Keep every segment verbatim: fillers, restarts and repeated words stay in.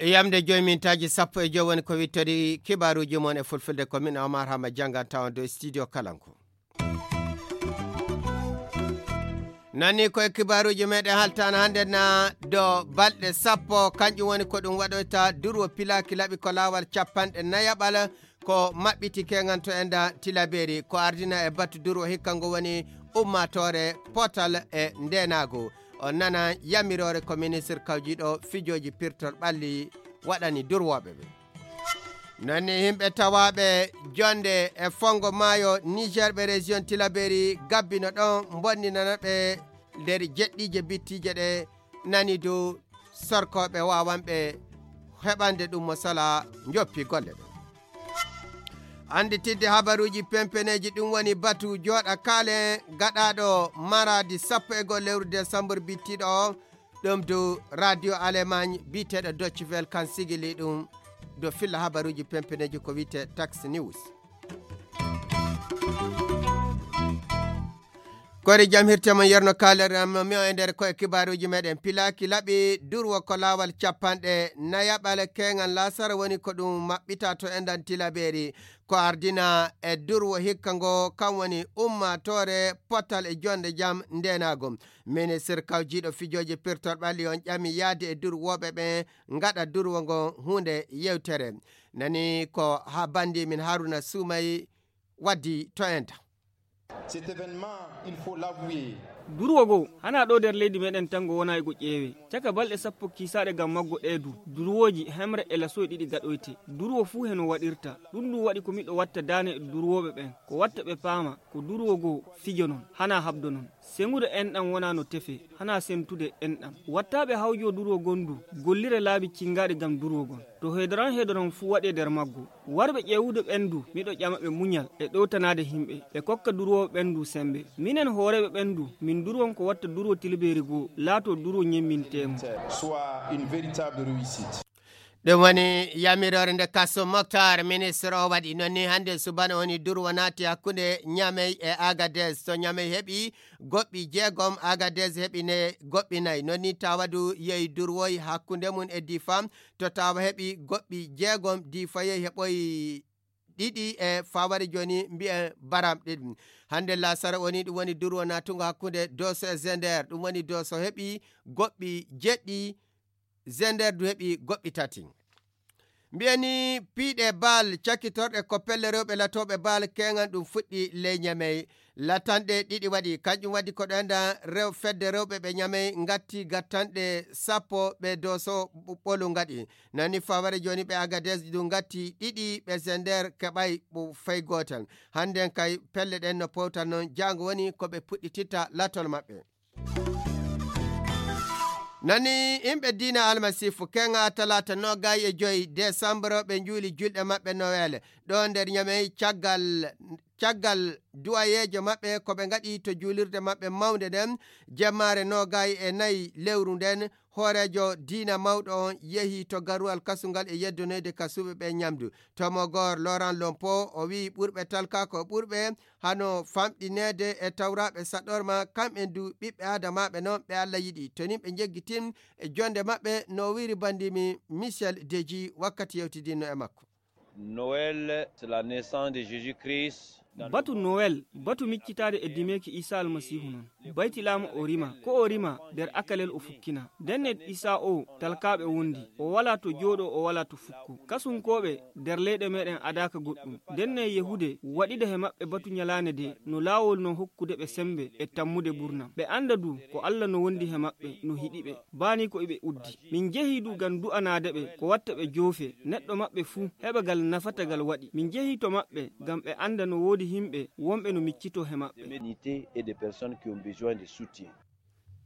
Yamde joyi mintaaji sappo e joyi woni ko wittori kibaaruuji mon e fulfulde, ko min Omar Hama janngan tawon dow studio Kalangu. Nani ko e kibaaruuji meɗen haltaana hannde na do balɗe sappo, kanƴum woni ko ɗum waɗoyta durwo pilaaki laɓi ko laawal capanɗe nayaɓal ko maɓɓiti keŋan to enda Tilaberi, ko ardina e batu durwo hikka ngo woni ummaatoore potal e ndeenaagu. On nana yamiroore ko ministre kawjiiɗo fijooji pirtol ɓalli waɗani durwooɓe ɓe. Nani yimɓe tawaaɓe jonde e fongo maayo Niger ɓe région Tilaberi gabbino ɗon mbonninana ɓe nder jeɗɗiije bittiije ɗe nani dow sorkooɓe waawanɓe heɓande ɗum mo sala njoppi golle ɗe. Annditidde habaruuji pempeneeji ɗum woni batu jooɗa kaale gaɗaaɗo maradi sappo e goo lewru décembre bittiiɗo o, ɗum dow radio Allemagne biyeteeɗo Deutsche Welle kan sigili ɗum dow filla habaruuji pempeneeji ko wiyetee Tax News. Kori jam hirte mon yerno kaalere am mi o e nder ko e kibaaruuji meɗen pilaaki laɓi durwo ko laawal capanɗe nayaɓal keŋan laasara woni ko ɗum maɓɓita to endan Tilaberi, ko ardina e durwo hikka ngo kan woni ummaatoore potal e jonde jam ndenaago. Ministre kawjiiɗo fijooji pirtol ɓalli on ƴami yaade e durwooɓe ɓe ngaɗa durwo ngo huunde yewtere. Nani ko ha bandi min Haruna Sumay waddi to enta. Cet événement, il faut l'avouer. Durwo goo, hanaa ɗoo nder leydi meɗen tan ngo wonaa e go ƴeewee. Caka balɗe sappo kiisaaɗe ngam maggo ɗee du, durwooji hemre e lasoy ɗiɗi gaɗoyte. Durwo fuu heno waɗirta. Ɗum ɗum waɗi ko miɗo watta daane e durwooɓe ɓen. Ko watta ɓe paama, ko durwo goo fijo non, hanaa habdo non. Seŋude enɗam wonaa no tefee, hanaa sentude enɗam. Wattaaɓe hawjoo durwo gondu, gollire laabi cingaaɗi ngam durwo gon. To heedoran heedoran fuu waɗee nder maggo. Warɓe ƴeewude ɓen du, miɗo ƴama ɓe muñal e ɗowtanaade himɓe, ɓe kokka durwooɓe ɓen du sembe. Minen hooreeɓe ɓen du, min durwon ko watta durwo tilbeeri goo, laatoo durwo ñemminteemo. Soit une véritable réussite. Ɗum woni yamiroore nde Kaso Moktar, ministre o waɗi noon ni hannde subana woni durwo naati hakkunde Ñamey e Agadez. To Ñamey heɓi goɓɓi jeegom, Agadez heɓi ne goɓɓi nayi. Noon ni Tawadu yehi durwoy hakkunde mum e Difa. To Tawa heɓi goɓɓi jeegom, Difa yehi heɓoy ɗiɗi e faware jooni mbiyen baram ɗiɗi. Hannde laasara woni ɗum woni durwo naatungo hakkunde Doso e Zender. Ɗum woni Doso heɓi goɓɓi jeɗɗi, Zender du heɓi goɓɓi tati. Mbiyen ni piiɗe baal cakkitorɗe ko pelle rewɓe latooɓe baal keŋan ɗum fuɗɗi ley Ñamey. Latanɗe ɗiɗi waɗi, kanƴum waɗi ko ɗo enda rew-, fedde rewɓe ɓe Ñamey ngatti gattanɗe sappo ɓe Doso ɓ-, ɓolu ngaɗi. Nani faware jooni ɓe Agadez du ngatti ɗiɗi ɓe Zender keɓay ɓu-, fay gootal. Hannden kay pelle ɗen no powtan noon jaango woni ko ɓe puɗɗititta latol maɓɓe. Nani yimɓe diina Almasiifu, keŋa talaata noogay e joy desambro, ɓe njuuli julɗe maɓɓe Nowel. Ɗo nder Ñamey, caggal, caggal duwayeejo maɓɓe ko ɓe ngaɗi to juulirde maɓɓe mawnde nden, jemmaare noogay e nayi lewru nden, hooreejo diina mawɗo on yehi to garuwal kasungal e yeddonoyde kasuɓe ɓe ñamdu. Tomogor Laurent Lompo, o wi'i ɓurɓe talkaako ɓurɓe hano famɗineede e tawraaɓe saɗorma, kamɓen du ɓiɓɓe aadamaaɓe non ɓe Alla yiɗi. To nin ɓe njeggitin e jonde maɓɓe, no wiiri bandimi Michel Deji wakkati yewtidinno e makko. Noël, c'est la naissance de Jésus-Christ. Batu Noël, batu miccitaade e dimeeki Iisaa Almasiihu non. Baytilaama o rima, ko o rima nder akalel o fukkina. Ndenne Iisaa o talkaaɓe wondi, o walaa to jooɗoo, o walaa to fukko. Kasunkooɓe nder leyɗe meɗen adaaka goɗɗum. Ndenne Yahuude waɗida he maɓɓe batu ñalaande de, no laawol non hokkude ɓe sembe e tammude burnam. Ɓe annda du ko Alla no wondi he maɓɓe, no hiɗi ɓe. Baani ko iɓe uddi. Min njehii du ngam du'anaade ɓe, ko watta ɓe joofe, neɗɗo maɓɓe fuu heɓa gal nafata gal waɗi. Min njehii to maɓɓe ngam ɓe annda no woodi himɓe wonɓe no miccitoo he maɓɓe. Des médicaments et des personnes qui ont besoin de soutien.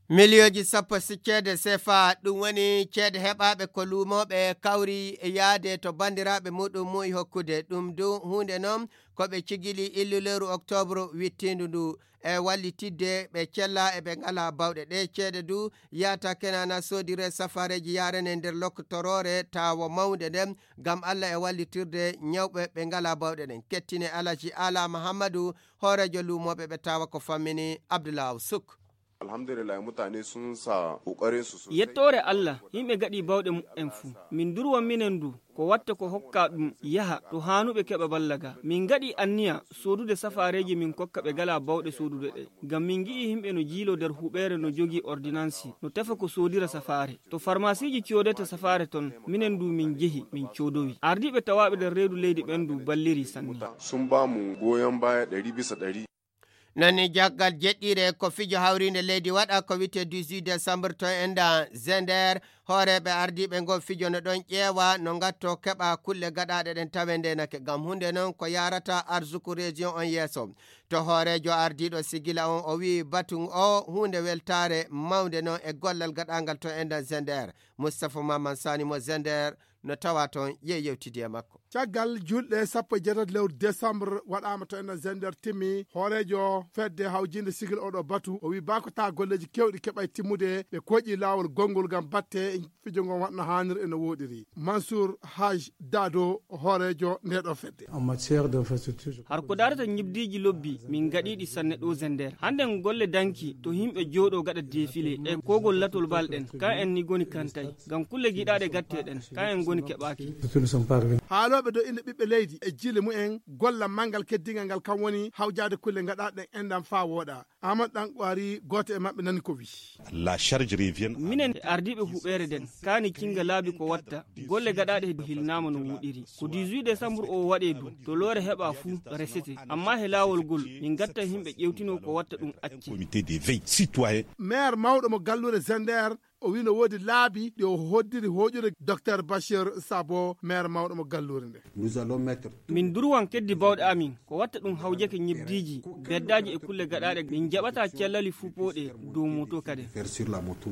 Miliyooji sappo si ceede sefa, ɗum woni ceede heɓaaɓe ko luumooɓe kawri e yahde to banndiraaɓe muɗum muyi hokkude. Ɗum du huunde noon ko ɓe cigili illuleeru oktoobre wittiindu ndu. E wallitidde ɓe cella e ɓe ngalaa bawɗe. Ɗee ceede du yahata kenaana soodire safaareeji yahrane nder loktoroore tawa mawnde nden, ngam Alla e wallitirde ñawɓe ɓe ngalaa bawɗe ɗen. Kettine Alaji Ala Mahammadu, hooreejo luumooɓe ɓe tawa ko fammini Abdullaahu Suk. Alhamdulillah, mutane sun sa kokarin su sosai. Yettoore Allah, yimɓe gaɗi bawɗe muɓɓen fuu. Min durwa minen du, ko watta ko hokka ɗum yaha to haanuɓe keɓa balla ga. Min gaɗi anniya soodude safaareeji min kokka ɓe gala bawɗe soodude ɗe. Ngam min ngi'i yimɓe no jiilo nder huɓeere no jogii ordinansi, no tefa ko soodira safaare. To farmasiiji coodata safaare ton, minen du min jehi, min coodowi. Ardiiɓe tawaaɓe nder reedu leydi ɓen du balliri sanne. Sun ba mu goyon baya ɗari bisa ɗari. Nani jaggal jeɗɗire ko fijo hawrinde leydi waɗa ko wiyte dix-huit décembre to enda Zender. Hooreeɓe ardiiɓe ngo fijo no ɗon ƴeewa no ngatto keɓa kulle gaɗaaɗe ɗen tawe ndenake. Ngam hunde noon ko yarata arsuku région on yeeso. To hooreejo ardiiɗo sigila on o wi'i batu o huunde weltaare mawnde noon e gollal gaɗangal to enda Zender. Moustapha Maman Sani mo Zender no tawa toon, yey yewtidi e makko. Caggal julɗe sappo e jeetati lewru décembre waɗaama to enen Zender timmi, hooreejo fedde hawjinde sigil oɗo batu, o wi baa ko taa golleeji keewɗi keɓay timmude, ɓe koƴi laawol gonngol ngam batte fijo ngon waɗno haanir e no wooɗiri. Mansour Haj Dado, hooreejo ndeeɗo fedde. En matière d'infrastructure, je Har ko darata ñibdiiji lobbi, min ngaɗiiɗi sanne ɗo Zender. Hannden golle danki to yimɓe jooɗo gaɗa defile e kogol latol bal ɗen, ka en ni goni kantay. Ngam kulle giɗaaɗe gatte ɗen, ka en goni keɓaaki. Surtout nous sommes pas arrivés. Haalooɓe dow innde ɓiɓɓe leydi e jiile mumen, golla manngal keddingal ngal kam woni hawjaade kulle gaɗaaɗe ɗen enɗan faa wooɗa. Amadou Ɗankwari, gooto e maɓɓe, nani ko wi. La charge revient à Minen e ardiiɓe huɓeere nden, kaani cinga laabi ko watta, golle gaɗaaɗe he hilnaama no wuɗiri. Ko dix-huit décembre o waɗee du, to loore heɓa fuu resete, amma he laawol ngol, min gatta yimɓe ƴewtino ko watta ɗum acce. Comité de veille citoyen. Maire mawɗo mo galluure Zender, o wi no woodi laabi ɗi o hoddiri hooƴude Docteur Bachir Sabo, maire mawɗo mo galluure nde. Nous allons mettre Min durwan keddi bawɗe amin, ko watta ɗum hawjake ñebdiiji, beddaaji e kulle gaɗaaɗe, min jaɓata cellali fupooɗe dow moto kadi. Faire sur la moto.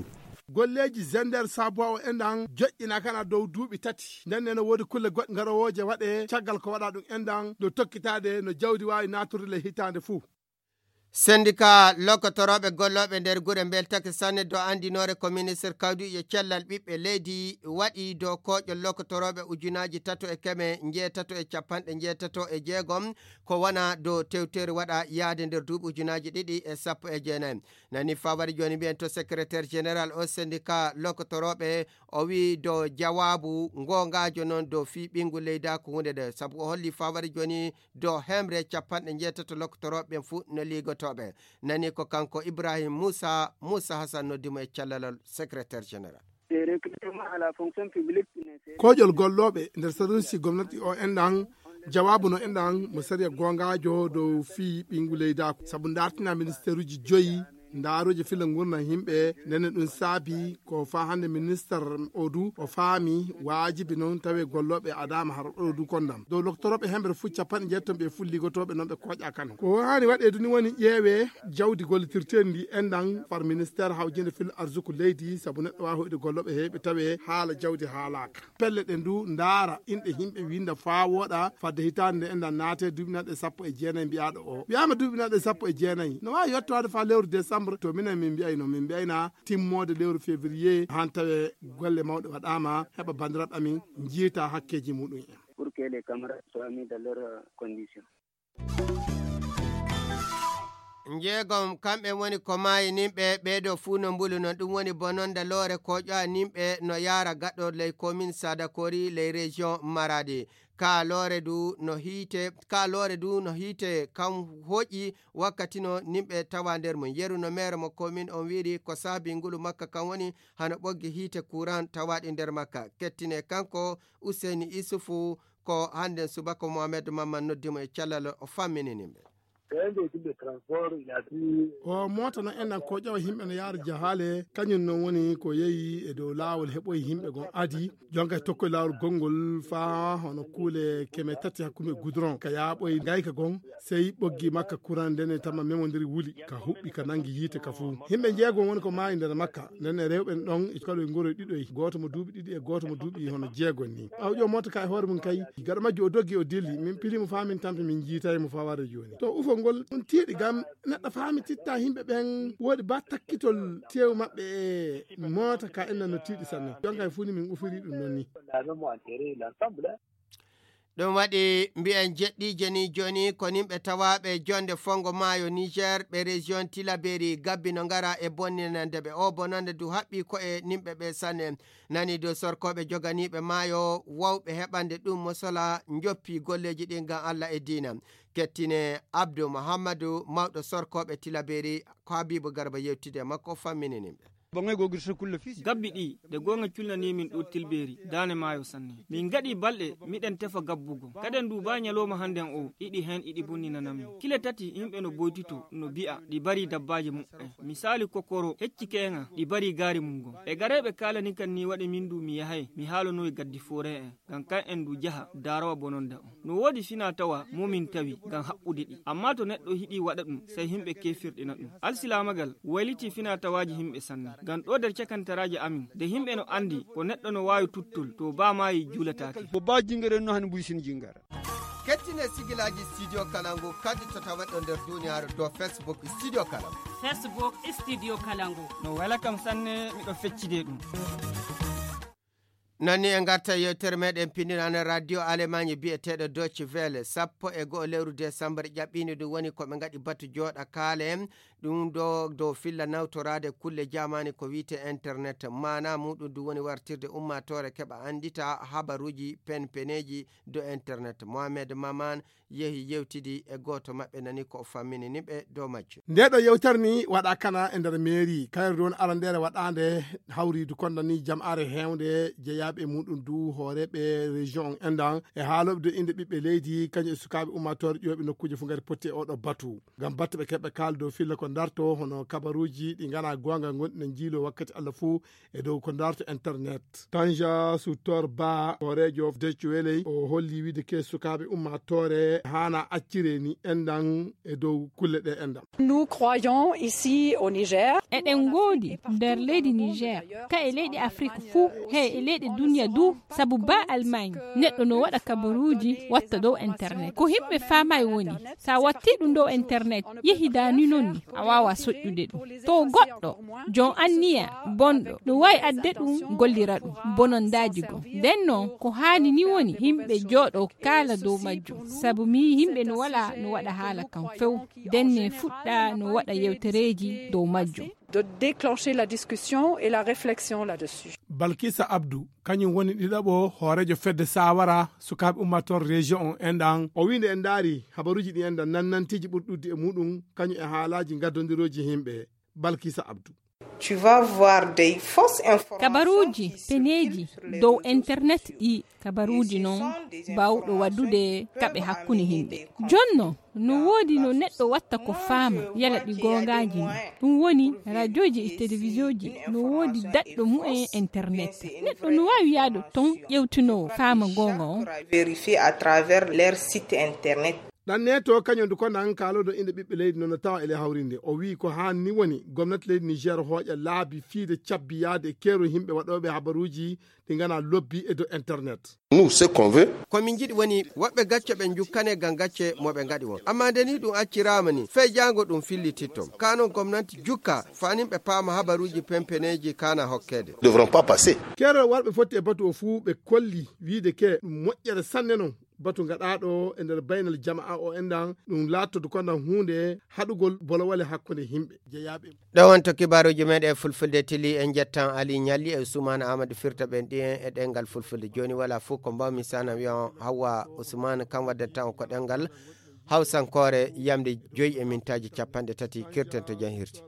Golleeji Zender Sabuwa o enɗan joƴƴina kana dow duuɓi tati. Nden ne no woodi kulle goɗɗe garowooje waɗe caggal ko waɗa ɗum enɗan dow tokkitaade no jawdi waawi naatorde le hitaande fuu. Sendika lokotorooɓe gollooɓe nder gure mbeltake sanne dow anndinoore ko ministre kawdiijo cellal ɓiɓɓe leydi waɗi dow kooƴol lokotorooɓe ujunaaji tato e keme njeetato e capanɗe njeetato e jeegom, ko wona dow tewteeri waɗa yahde nder duuɓi ujunaaji ɗiɗi e sappo e jeenayi. Nani fawari jooni mbiyen to secrétaire général o sendika lokotorooɓe, o wi dow jawaabu ngongaajo noon dow fii ɓiyngu leyda ko huunde nde, sabu o holli fawari jooni dow hemre capanɗe njeetato lokotorooɓe ɓen fuu no liigotooɓe. Nani ko kanko Ibrahim Moussa, Moussa Hassan noddi mo e callalal secrétaire général. Kooƴol gollooɓe nder saruusi gomnati o enɗan jawaabu no enɗan mo sariya gongaajo dow fii ɓiyngu leydaako. Sabu ndartina ministeeruji joyi, ndaaroje filla ngurndan yimɓe, nene ɗum saabi ko faa hannde minister o du o faami waajibi noon tawe gollooɓe adaama har ɗo du kondam. Dow lokotorooɓe hemre fuu capanɗe njeetom ɓe fuu ligotooɓe noon ɓe kooƴa kano. Ko haani waɗee du ni woni ƴeewee jawdi gollitirteendi ndi enɗan far ministeer hawjinde fil arsuku leydi, sabu neɗɗo waawi hoyde gollooɓe heewɓe tawee haala jawdi haalaaka. Pelle ɗen du ndaara inɗe yimɓe winda faa wooɗa fadde hitaande nde enɗan naate duuɓi naɗe sappo e jeenayi mbiyaaɗo o. Wiyaama duuɓi naɗe sappo e jeenayi. No waawi yottowaade faa lewru décembre to minen min mbiyayno, min mbiyayna timmoode lewru février han tawe golle mawɗe waɗaama heɓa banndiraaɓe amin njiita hakkeeji muɗum en. Pour que les camarades soient mis dans leurs conditions. Njeegom kamɓe woni ko maayi nimɓe ɓeeɗo fuu no mbuluno, ɗum woni bononda loore ko ƴowa nimɓe no yaara gaɗo ley komin Sadakori ley région Maradi. Ka loore du no hiite, ka loore du no hiite kam hoƴi wakkati no nimɓe tawa nder mum. Yeru no meere mo komin on wiiri ko saabi ngulu makka kan woni hano ɓoggi hiite kuran tawaɗi nder makka. Kettine kanko Useyni Isufu ko hannden subaka Mohamed Mamman noddi mo e cellal o fammini nimɓe. O moota noon enɗan ko ƴawa yimɓe no yaara jahaale, kañum noon woni ko yehi e dow laawol heɓoyi yimɓe gon adi, jonka e tokkoye laawol gonngol faa hono kuule keme tati hakkunde goudron ka yaaɓoyi ngayka gon, sey ɓoggi makka kuran ndene tama memondiri wuli, ka huɓɓi ka nangi yiite ka fuu. Yimɓe njeegon woni ko maayi nder makka, ndene rewɓe ɗon e kala e ngoroy ɗiɗoy, gooto mo duuɓi ɗiɗi e gooto mo duuɓi hono jeegon ni. Ɓaawo ƴoo moota ka e hoore mum kay, gaɗa majju o doggi o dilli, min pili mo faa min tampi min jiitay mo faa warde jooni. To ufol ngol ɗum tiiɗi gam neɗɗo faami titta yimɓe ɓen woodi ba takkitol teewu maɓɓe e moota ka enna no tiiɗi sanne. Jonka e fuu ni min ufiri ɗum noon ni. Ɗum waɗi mbiyen jeɗɗiije ni jooni ko nimɓe tawaaɓe jonde fongo maayo Niger ɓe région Tilaberi gabbi no ngara e bonninande ɓe o bonande du haɓɓi ko e nimɓe ɓe sanne. Nani dow sorkooɓe joganiiɓe maayo wawɓe heɓande ɗum mo sola njoppi golleeji ɗin ngam Allah e diina. Kettine Abdou Muhammadu mawɗo sorkooɓe Tilaberi ko Habibu Garba yewtide e makko fammini nimɓe. Gabbi ɗi de goonga culnanii min ɗo Tilbeeri daane maayo sanne. Min gaɗi balɗe miɗen tefa gabbugo. Kaden du baa ñalooma hannden o iɗi heen iɗi bonninana min. Kile tati yimɓe no boytitoo no bi'a ɗi barii dabbaaji muɓɓen. Misaali kokoro hecci keeŋa ɗi barii gaari mum gom. E gareeɓe kaalani kan ni waɗi min du mi yahay mi haalanoyi gaddi fooree'en. Ngam kan'en du jaha daarowa bononda on. No woodi finaa-tawaa mo min tawi ngam haɓɓude ɗi. Ammaa to neɗɗo hiɗii waɗa ɗum, sey himɓe keefirɗina ɗum. Alsilaamagal waylitii finaa-tawaaji himɓe sanne. Ngam ɗoo der cakantaraaji amin, de himɓe no anndi ko neɗɗo no waawi tuttol to baa maayii juulataake. Mo baa jingere no hani buy sin jingara. Kettine sigilaaji Studio Kalangu kaddi to taweɗo nder duuniyaaru dow Facebook Studio Kalangu. Facebook Studio Kalangu. No wela kam sanne miɗo feccide ɗum. Nani e ngarta yewtere meɗen pinndinane radio Alemagne biyeteeɗo Deutsche Welle sappo e go'o lewru décembre ƴaɓɓiinde ɗum woni ko ɓe ngaɗi batu jooɗa kaale ɗum ɗo dow filla nawtoraade kulle jaamaani ko wiyte internet maana muɗum ɗum woni wartirde ummaatoore keɓa anndita habaruuji penpeneeji dow internet. Mohamed Maman yehi yewtidi e gooto maɓɓe nani ko o fammini ni ɓe dow majjum. Nde ɗo yewtere ni waɗa kana e nder mairie kayre ɗon arandeere waɗaande hawriidu konda ni jam'aare heewnde jeyaaɓe e muɗum du hooreeɓe région on endan e haaloɓe dow innde ɓiɓɓe leydi kañum e sukaaɓe ummaatoore ƴooɓe nokkuuje fof ngari potti e oɗo batu ngam batte ɓe keɓɓe kaala dow filla ko darto hono kabaruuji ɗi ngana goonga gonɗi no njiilo wakkati Allah fuu e dow ko darto internet. Tanja Sutor Ba hooreejo Dec Weley o holli wiide ke sukaaɓe ummaatoore haana accire ni enɗan e dow kulle ɗe enɗan. Nous croyons ici au Niger. Eɗen ngoodi nder leydi Niger ka e leyɗe Afrik fuu he e leyɗe duniya du sabu ba Almaañ neɗɗo no waɗa kabaruuji watta dow internet ko himɓe faamaay woni sa watti ɗum dow internet yehi daani noon ni a waawa soƴƴude ɗum to goɗɗo joom anniya bonɗo no waawi adde ɗum gollira ɗum bonondaaji goo nden noon ko haani ni woni yimɓe jooɗo kaala dow majjum sabu mi yimɓe no wala no waɗa haala kan few nden ne fuɗɗa no waɗa yewtereeji dow majjum. De déclencher la discussion et la réflexion là-dessus. Balkisa Abdou kañum woni ɗiɗaɓo hooreejo fedde sawara sukaaɓe ummaatoor région on enɗan. O wii nde en ndaari habaruuji ɗi enɗan nannanteeji ɓurɗi ɗuuɗde e muɗum kañum e haalaaji ngaddondirooji yimɓe. Balkisa Abdou. Kabaruuji peneeji dow internet ɗi kabaruuji noon baawɗo waɗude kaɓe hakkunde yimɓe jonno no woodi no neɗɗo watta ko faama yala ɗi goongaaji ni ɗum woni rajooji e telewisiyoji no woodi daɗɗo mumen internet neɗɗo no waawi yaade toon ƴeewtinoo faama goonga on. Ɗanneeto kañum du ko nan kaaloɗo innde ɓiɓɓe leydi noon no tawa ele hawrinde o wii ko haan ni woni gomnati leydi Niger hooƴa laabi fiide cabbi yaade e keerol yimɓe waɗooɓe habaruuji ɗi ngana lobbi e dow internet. Nous ce qu'on veut. Ko min njiɗi woni woɓɓe gacce ɓe njukkane ngam gacce mo ɓe ngaɗi won amma nde ni ɗum acciraama ni fey jaango ɗum fillititto kano gomnanti jukka fanin ɓe paama habaruuji pempeneeji kana hokkeede. Devront pas passer. Keerol warɓe fotti e batu o fuu ɓe kolli wiide ke ɗum moƴƴere sanne non batu gaɗaaɗo e nder baynal jama'a o enɗan ɗum laattodu konɗan huunde haɗugol bolowale hakkunde yimɓe jeyaaɓe. Ɗo wonto kibaaruuji meeɗen e fulfulde tili en njettan Ali Ñalli e Usmaana Aamadu firta ɓen ɗi en e ɗenngal fulfulde jooni wala fof ko mbawmi sana wiyan Hawwa Usmaana kam waddata on ko ɗenngal hawsankoore yamde joyi e mintaaji cappanɗe tati kirten to jam hirti.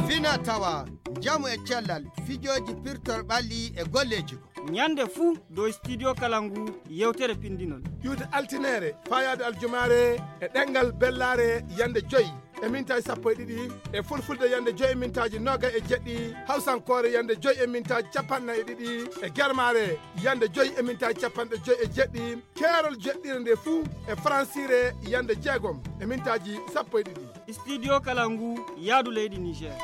Fina tawa njamu e cellal fijooji pirtol ɓalli e golleeji ko. Ñande fuu dow Studio Kalangu yewtere pinndinol. Ƴuwde altineere, faayaade aljumaare e ɗemngal bellaare yande joy e mintaaji sappo e ɗiɗi, e fulfulde yande joy e mintaaji noogay e jeɗɗi, hawsankoore yande joy e mintaaji capanɗe nayi e ɗiɗi, e germaare yande joy e mintaaji capanɗe joy e jeɗɗi, keerol jeɗɗire nde fuu e faransiire yande jeegom e mintaaji sappo e ɗiɗi. Studio Kalangu, yaadu leydi Niger.